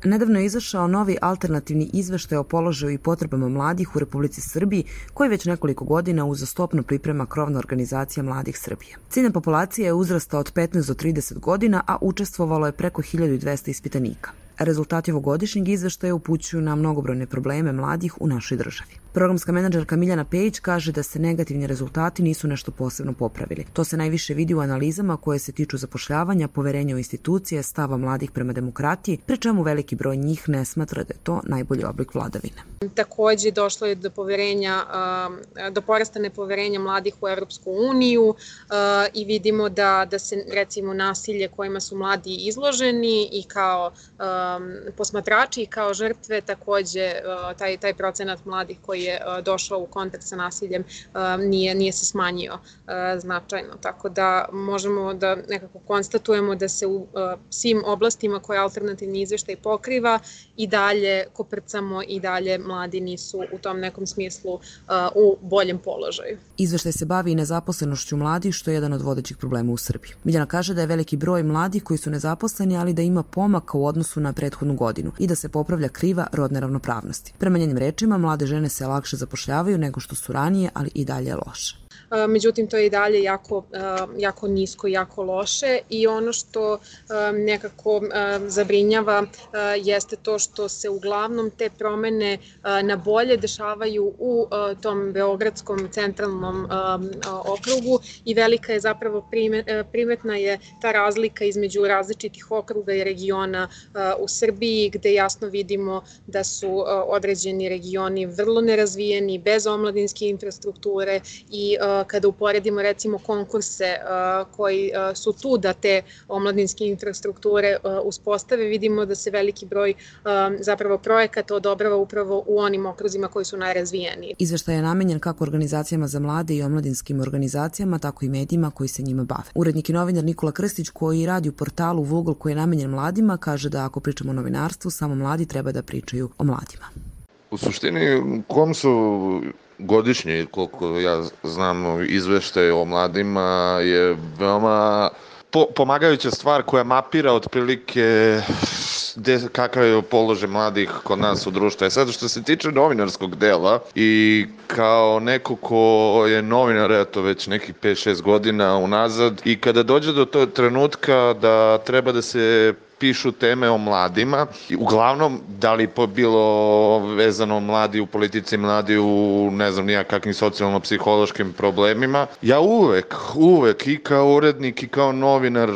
Nedavno je izašao novi alternativni izveštaj o položaju i potrebama mladih u Republici Srbiji, koji već nekoliko godina uzastopno priprema krovna organizacija Mladih Srbije. Ciljna populacija je uzrasta od 15 do 30 godina, a učestvovalo je preko 1200 ispitanika. Rezultati ovogodišnjeg izveštaja upućuju na mnogobrojne probleme mladih u našoj državi. Programska menadžerka Miljana Pejić kaže da se negativni rezultati nisu nešto posebno popravili. To se najviše vidi u analizama koje se tiču zapošljavanja, poverenja u institucije, stava mladih prema demokratiji, pri čemu veliki broj njih ne smatra da je to najbolji oblik vladavine. Takođe došlo je do porasta nepoverenja mladih u Evropsku uniju i vidimo da se recimo nasilje kojima su mladi izloženi i kao posmatrači i kao žrtve, takođe taj procenat mladih koji je došao u kontakt sa nasiljem nije se smanjio značajno. Tako da možemo da nekako konstatujemo da se u svim oblastima koje alternativni izveštaj pokriva i dalje koprcamo i dalje mladi nisu u tom nekom smislu u boljem položaju. Izveštaj se bavi i nezaposlenošću mladih, što je jedan od vodećih problema u Srbiji. Miljana kaže da je veliki broj mladih koji su nezaposleni, ali da ima pomaka u odnosu na prethodnu godinu i da se popravlja kriva rodne ravnopravnosti. Prema njenim rečima, mlade žene se lakše zapošljavaju nego što su ranije, ali i dalje je loše. Međutim, to je i dalje jako nisko, jako loše i ono što nekako zabrinjava jeste to što se uglavnom te promene na bolje dešavaju u tom beogradskom centralnom okrugu i velika je zapravo primetna je ta razlika između različitih okruga i regiona u Srbiji, gde jasno vidimo da su određeni regioni vrlo nerazvijeni, bez omladinske infrastrukture i kada uporedimo recimo konkurse koji su tu da te omladinske infrastrukture uspostave, vidimo da se veliki broj zapravo projekata odobrava upravo u onim okruzima koji su najrazvijeniji. Izveštaj je namenjen kako organizacijama za mlade i omladinskim organizacijama, tako i medijima koji se njima bave. Urednik i novinar Nikola Krstić, koji radi u portalu Vugl koji je namenjen mladima, kaže da ako pričamo o novinarstvu, samo mladi treba da pričaju o mladima. U suštini, KOMS-u godišnji, koliko ja znam, izveštaj o mladima je veoma pomagajuća stvar koja mapira otprilike kakav je položaj mladih kod nas u društvu. Sad, što se tiče novinarskog dela i kao neko ko je novinar, eto, već nekih 5-6 godina unazad, i kada dođe do tog trenutka da treba da se pišu teme o mladima, uglavnom da li bilo vezano mladi u politici, mladi u ne znam nija kakvim socijalno-psihološkim problemima, ja uvek i kao urednik i kao novinar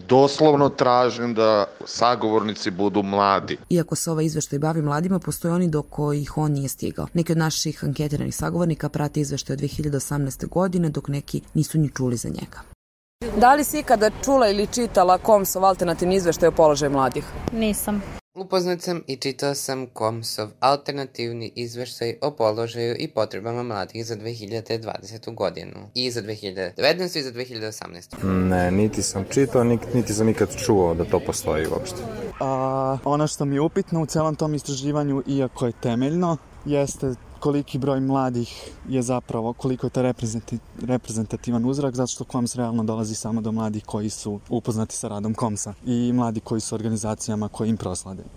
doslovno tražim da sagovornici budu mladi. Iako se ovaj izveštaj bavi mladima, postoje oni do kojih on nije stigao. Neki od naših anketiranih sagovornika prate izveštaj od 2018. godine, dok neki nisu ni čuli za njega. Da li si ikada čula ili čitala KOMS-ov alternativni izveštaj o položaju mladih? Nisam. Upoznat sam i čitao sam KOMS-ov alternativni izveštaj o položaju i potrebama mladih za 2020. godinu. I za 2019. i za 2018. Ne, niti sam čitao, niti sam ikad čuo da to postoji uopšte. Ono što mi je upitno u celom tom istraživanju, iako je temeljno, jeste koliki broj mladih je zapravo, koliko je to reprezentativan uzrak, zato što KOMS realno dolazi samo do mladih koji su upoznati sa radom KOMS-a i mladi koji su organizacijama koji im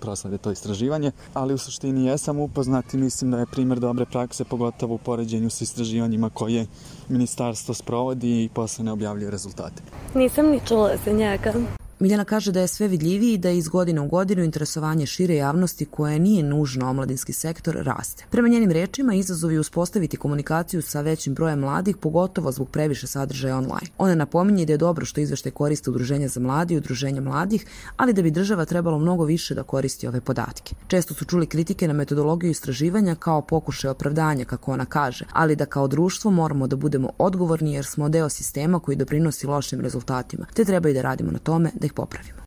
proslede to istraživanje, ali u suštini jesam upoznat i mislim da je primer dobre prakse, pogotovo u poređenju sa istraživanjima koje ministarstvo sprovodi i posle ne objavljuje rezultate. Nisam ni čula za njega. Miljana kaže da je sve vidljiviji i da iz godine u godinu interesovanje šire javnosti koje nije nužno omladinski sektor raste. Prema njenim rečima, izazov je uspostaviti komunikaciju sa većim brojem mladih, pogotovo zbog previše sadržaja online. Ona napominje da je dobro što izveštaj koriste udruženja za mlade i udruženja mladih, ali da bi država trebalo mnogo više da koristi ove podatke. Često su čuli kritike na metodologiju istraživanja kao pokušaj opravdanja, kako ona kaže, ali da kao društvo moramo da budemo odgovorni jer smo deo sistema koji doprinosi lošim rezultatima, te treba i da radimo na tome da ih popravimo.